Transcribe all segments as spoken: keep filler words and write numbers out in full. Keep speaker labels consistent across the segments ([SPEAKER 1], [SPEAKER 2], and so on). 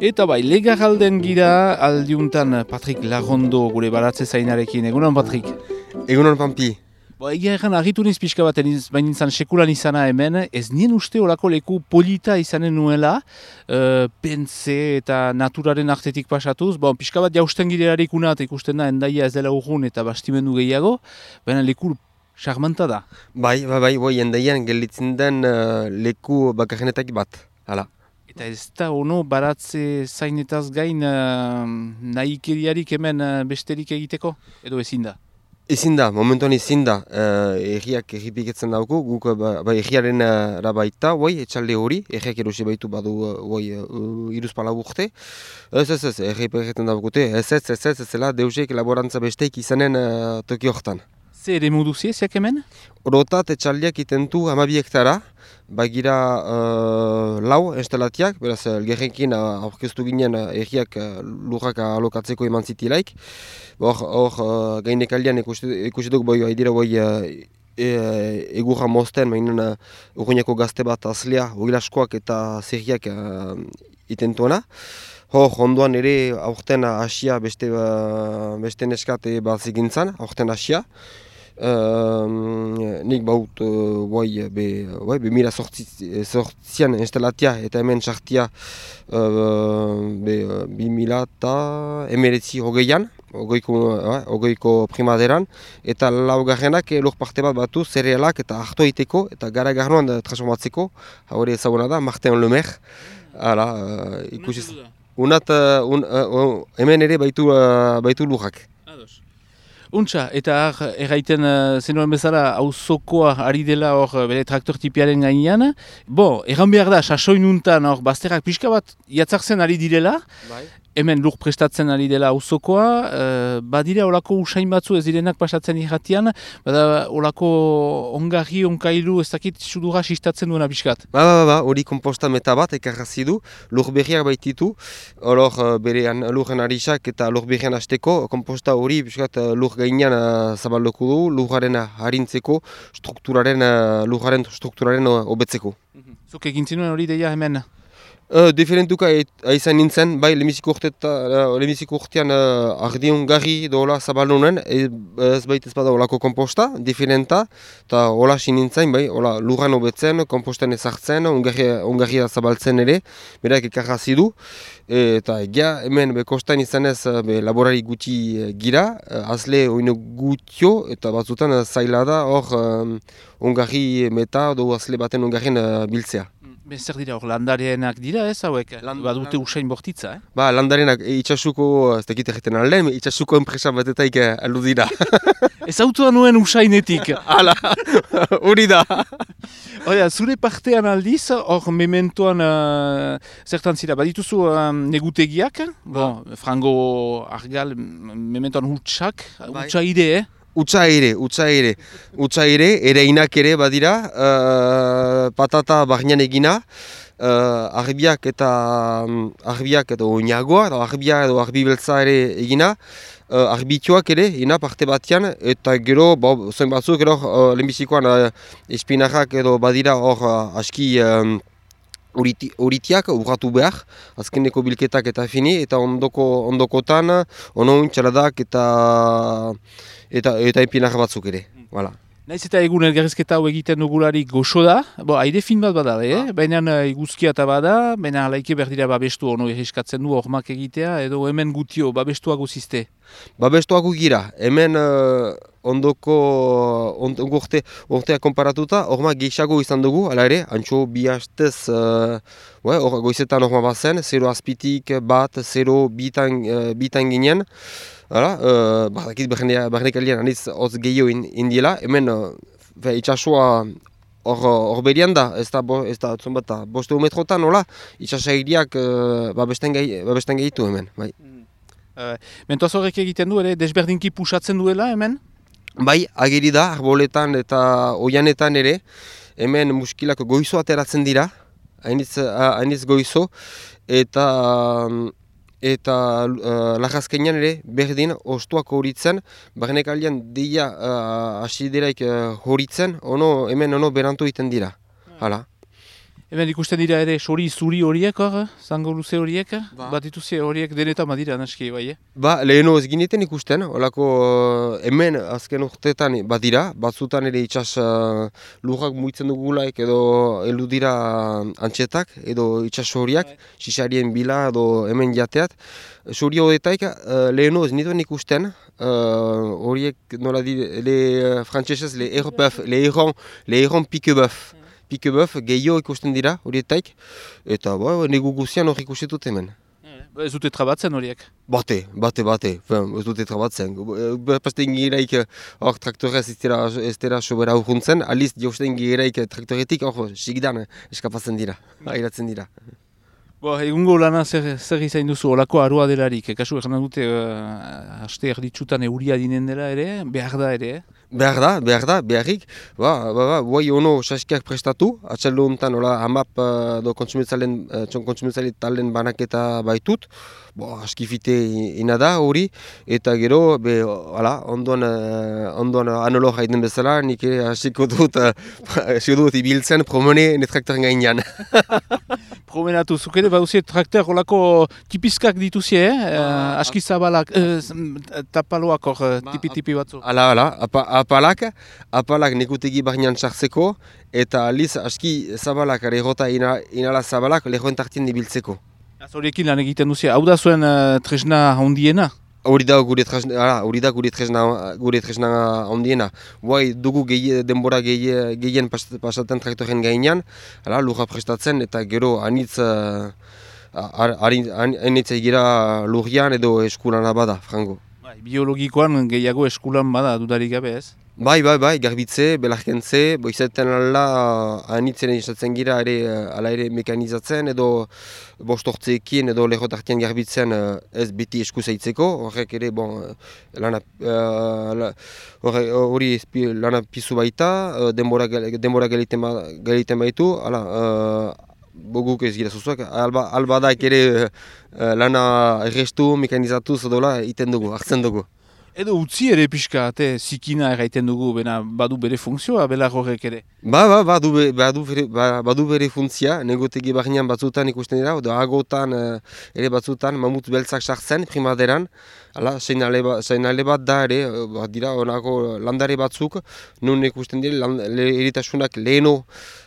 [SPEAKER 1] Eta bai, legaralden gira aldiuntan Patrik Larrondo gure baratze zainarekin. Egunon, Patrik?
[SPEAKER 2] Egunon, Pampi.
[SPEAKER 1] Bo, egia egan argitu niz pixka bat baina izan sekulan izana hemen, ez nien uste olako leku polita izanen nuela, uh, pentze eta naturaren artetik pasatuz. Bon, pixka bat jausten girerarik unat ikusten da, endaia ez dela urgun eta bastimendu gehiago, baina leku charmanta da.
[SPEAKER 2] Bai, bai, bai, bai, endaian gelditzen den uh, leku bakarrenetak bat, hala.
[SPEAKER 1] Eta ez da ono baratze zainetaz gain uh, nahikeriarik hemen uh, besterik egiteko, edo ezin da?
[SPEAKER 2] Ezin da, momentuan ezin da, uh, erriak erripiketzen dauku, guk ba, ba, erriaren uh, baita, oi, etxalde hori, erriak erosi baitu badu oi, uh, iruzpala urte. Ez, ez, ez, erripiketzen daukute, ez, ez, ez, ez, ez, zela deusek laborantza besteik izanen uh, toki hortan.
[SPEAKER 1] Ze ere modu ziak hemen?
[SPEAKER 2] Orotat etxaldiak itentu hamabi hektara, bagira uh, lau instalatiak, beraz, elgerrekin uh, aurkeztu ginen uh, erriak uh, lurrak alokatzeko eman zitilaik. Hor, hor uh, gainekaldian ikusi duk boi, haidira boi uh, e, egurra mozten, mainen uh, urruñako gazte bat azlea, ogilaskoak eta zerriak uh, itentuena. Hor, ondoan ere aurten hasia beste, uh, beste neskate bat zigintzan, aurten hasia. Uh, nik baut uh, bai, be, bai, be mila sortzian instalatia eta hemen sartia uh, be, uh, bi mila eta emeretzi hogeian, hogeiko, uh, hogeiko primaderan, eta laugarrenak lur parte bat batu zerealak eta hartu egiteko eta gara garnoan transformatzeko, hori ezaguna da, Martin Lemer, hala, uh, ikusiz. Unat, uh, un, uh, hemen ere baitu, uh, baitu lurrak.
[SPEAKER 1] Untxa, eta erraiten uh, zenuen bezala auzokoa ari dela hor bere traktor tipiaren gainean. Bo, erran behar da, sasoinuntan hor bazterrak pixka bat jatzartzen ari direla. Bai. Hemen lur prestatzen ari dela auzokoa, uh, badira olako usain batzu ez direnak pasatzen irratian, bada olako ongarri, onkailu, ez dakit sudura sistatzen duena pixkat.
[SPEAKER 2] Ba, ba, ba, hori komposta meta bat ekarrazi du, lur berriak baititu, hor berean lurren arisak eta lur berrian hasteko, komposta hori pixkat lur gainean uh, zabalduko du, lurraren harintzeko, strukturaren, uh, lurraren strukturaren hobetzeko.
[SPEAKER 1] Uh, Zuk egin zinuen hori deia hemen?
[SPEAKER 2] Uh, Diferentuka aizan nintzen, bai lemiziko urtean uh, ardiun garri dola zabalunen, ez baita ez bada olako komposta, diferenta, eta hola sinintzen, bai, hola lurran hobetzen, komposten ezartzen, ongarria zabaltzen ere, berak ekarrazi du, eta egia hemen bekostan izan ez be, laborari guti gira, azle oino gutio, eta batzutan zaila da hor um, ongarri meta, do azle baten ongarrien uh, biltzea.
[SPEAKER 1] Ben zer dira hor landarenak dira ez hauek? Land, badute usain bortitza, eh?
[SPEAKER 2] Ba, landarenak itxasuko, ez dakit egiten alden, itxasuko enpresa batetaik aldu dira.
[SPEAKER 1] Ez autua nuen usainetik.
[SPEAKER 2] Hala, hori da.
[SPEAKER 1] Oida, zure partean aldiz, hor mementoan uh, zertan zira, badituzu um, negutegiak, bon, frango argal, mementoan hutsak, hutsa ide, eh?
[SPEAKER 2] Utsa ere, utsa ere, utsa ere, ereinak ere badira, uh, patata barnean egina, uh, arbiak eta arbiak edo oinagoa, arbia edo arbi beltza ere egina, uh, arbitioak ere, ina parte batean, eta gero, bo, zoin batzuk, gero, uh, lehenbizikoan uh, espinarrak edo badira hor uh, aski um, Uritiak urratu behar, azkeneko bilketak eta fini, eta ondoko, ondokotan, onoin, txaladak eta eta, eta epinar batzuk ere. Voilà.
[SPEAKER 1] Naiz eta egun elgarrizketa hau egiten dugularik goxo da, bo, aire fin bat bada, eh? Ah. Baina eguzkia eta bada, baina alaike berdira babestu ono erriskatzen du hormak egitea, edo hemen gutio babestuago zizte?
[SPEAKER 2] Babestuago gira, hemen uh, ondoko ondoko urte, urtea konparatuta, hormak gehiago izan dugu, ala ere, antxo bi hastez, uh, or, goizetan horma bazen, zero azpitik bat, zero bitan, uh, bitan ginen, hala, uh, bakit barnekaldian aniz hotz gehiago indiela, hemen uh, itxasua hor berian da, ez da, bo, ez da, bat, boste metrotan, hola, itxasairiak uh, babesten gehitu hemen, bai.
[SPEAKER 1] Uh, Mentoaz horrek egiten du, ere, desberdinki pusatzen duela hemen?
[SPEAKER 2] Bai, ageri da, arboletan eta oianetan ere, hemen muskilak goizo ateratzen dira, hainiz, hainiz goizo, eta eta uh, lagazkenean ere berdin ostuak horitzen, barnek aldean deia uh, asideraik uh, horitzen, ono, hemen ono berantu egiten dira, hala.
[SPEAKER 1] Hemen ikusten dira ere sori zuri horiek hor, zango luze horiek,
[SPEAKER 2] Ba.
[SPEAKER 1] bat dituzie horiek denetan badira naski bai, eh?
[SPEAKER 2] Ba, leheno ez gineten ikusten, olako uh, hemen azken urteetan badira, batzutan ere itxas uh, lurrak muitzen dugulaik edo heldu dira antxetak edo itxas horiak, xixarien bila edo hemen jateat. Suri horietaik uh, leheno ez nituen ikusten, uh, horiek nola di, le uh, frantsesez, le erbeuf, le erron, le erron piquebeuf. Piquebeuf gehiago ikusten dira horietaik, eta ba, negu guzian hori ikusitut hemen.
[SPEAKER 1] Ez dute trabatzen horiek?
[SPEAKER 2] Bate, bate, bate, Fen, ez dute trabatzen. Pasten giraik hor traktorez ez dira, ez dira sobera urruntzen, aliz jausten giraik traktoretik hor sigdan eskapatzen dira, airatzen dira.
[SPEAKER 1] Bo, egungo lana zer, zer izain duzu, olako arua delarik, kasu egin dute uh, haste erditsutan euria dinen dela ere, behar da ere, eh?
[SPEAKER 2] Behar da, behar da, beharrik, ba, ba, ba, guai ono saskiak prestatu, atxaldo honetan, hola, hamap uh, do kontsumitzalen, uh, kontsumitzale talen banaketa baitut, bo, askifite ina da hori, eta gero, be, hala, ondoan, uh, ondoan anolo jaiten bezala, nik ere hasiko dut, uh, hasiko dut ibiltzen promene netraktoren gainean.
[SPEAKER 1] Promenatu, zuk ere bauzie traktor olako tipizkak dituzie, eh? Uh, aski zabalak, uh, tapaloak hor, uh, tipi-tipi batzu.
[SPEAKER 2] Hala, hala, apa, apalak, apalak nekutegi barnean sartzeko, eta aliz aski zabalak, errota ina, inala zabalak, lehoen tartien ibiltzeko.
[SPEAKER 1] Horiekin lan egiten duzia, hau da zuen uh, tresna hondiena?
[SPEAKER 2] Hori da gure tresna, hala, hori da gure tresna, gure tresna hondiena. Guai dugu gehi, denbora gehi, gehien pas, pasaten traktoren gainean, hala, lurra prestatzen, eta gero anitz, uh, anitz egira lurrian edo eskulana bada, frango.
[SPEAKER 1] Bai, biologikoan gehiago eskulan bada, dudarik gabe ez?
[SPEAKER 2] Bai, bai, bai, garbitze, belarkentze, boizaten ala anitzen egizatzen gira ere, ala ere mekanizatzen edo bostortzeekin edo lehotartian garbitzen ez beti esku zaitzeko, horrek ere, bon, lana, hori uh, lana pizu baita, denbora, denbora geliten baitu, ala, uh, boguk ez gira zuzuak, alba, albadak ere uh, lana errestu, mekanizatuz edola, iten dugu, hartzen dugu.
[SPEAKER 1] Edo utzi ere pixka, ate, zikina erraiten dugu, bena badu bere funtzioa, belar horrek ere.
[SPEAKER 2] Ba, ba, badu, be, badu, bere, ba, badu bere funtzia, negotegi barnean batzutan ikusten dira, edo agotan ere batzutan mamut beltzak sartzen primaderan, hala, seinale, ba, seinale bat da ere, ba, dira, onako landare batzuk, nun ikusten dira, land, le, eritasunak leheno,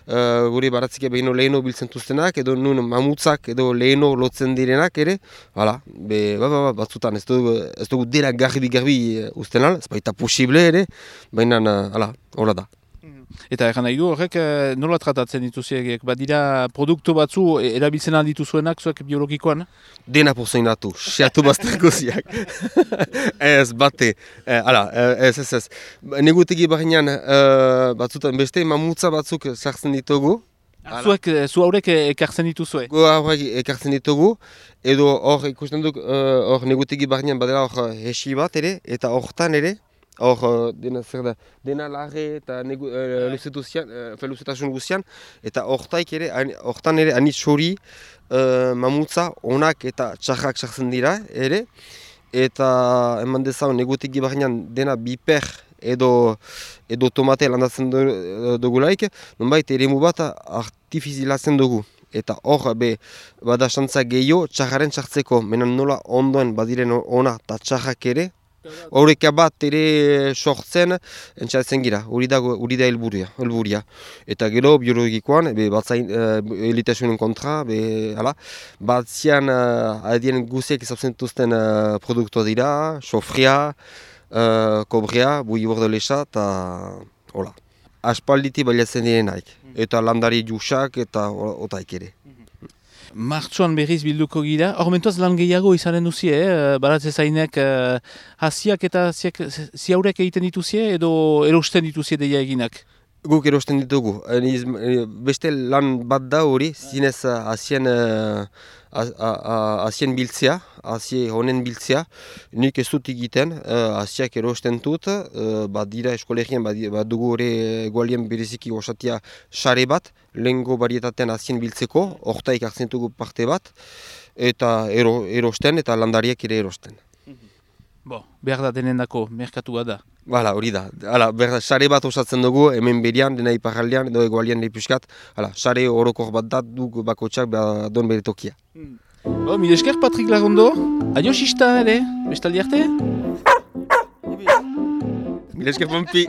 [SPEAKER 2] uh, gure baratzik behino leheno biltzen tuztenak, edo nun mamutzak edo leheno lotzen direnak ere, hala, be, ba, ba, ba, batzutan, ez dugu, ez dugu dira garbi-garbi usten al, ez baita posible ere, baina, hala, hola da.
[SPEAKER 1] Eta egan nahi du horrek nola tratatzen dituziek, badira produktu batzu erabiltzen alditu zuenak zuek biologikoan?
[SPEAKER 2] Dena pozeinatu, seatu bazter goziak. Ez, bate, eh, ala, ez, ez, ez. Negutegi barnean uh, batzutan beste mamutza batzuk sartzen ditugu.
[SPEAKER 1] Zuek, zu haurek ekartzen dituzue?
[SPEAKER 2] Gu haurek ekartzen ditugu, edo hor ikusten duk, hor uh, negutegi barnean badela hor hesi bat ere, eta hortan ere, hor, dena zer da, dena larre eta uh, luzetasun guzian, eta hortaik ere, hortan ere anitz hori uh, mamutza onak eta txarrak sartzen dira ere, eta eman dezaun negutegi barnean dena biper edo edo tomate landatzen dugulaik, nonbait eremu bat artifizilatzen dugu. Eta hor, be, bada xantza gehiago txarraren txartzeko, menan nola ondoen badiren ona eta txarrak ere, horreka bat ere sortzen entzatzen gira, hori da, hori da helburia, helburia. Eta gero biologikoan, be, batzain uh, elitasunen kontra, be, hala, batzian uh, adien guziek izabtzen dituzten uh, produktua dira, sofria, uh, kobrea, bui bordelexa, eta hola. Aspalditi baliatzen direnaik, eta landari jusak eta otaik ere.
[SPEAKER 1] Martxoan berriz bilduko gira, hor mentuaz lan gehiago izanen duzie, eh? Baratze zainek eh, hasiak eta ziaurek egiten dituzie edo erosten dituzie deia eginak?
[SPEAKER 2] Guk erosten ditugu. Beste lan bat da hori, zinez hasien hasien biltzea, hasie honen biltzea, nik ez dut egiten, hasiak erosten dut, bat dira eskolegian, bat dugu hori egualien bereziki osatia sare bat, lehengo barietatean hasien biltzeko, hortaik hartzen dugu parte bat, eta ero, erosten eta landariak ere erosten.
[SPEAKER 1] Bo, behar da denendako, merkatua da.
[SPEAKER 2] Hala, hori da. Hala, berda, sare bat osatzen dugu, hemen berian, dena iparraldean, edo egoalian lepuskat. Hala, sare orokor bat da, duk bakotxak ba, don bere tokia.
[SPEAKER 1] Hmm. Bo, mil esker Patrik Lagondo. Adio xista ere, bestaldi arte?
[SPEAKER 2] Mil esker Pompi.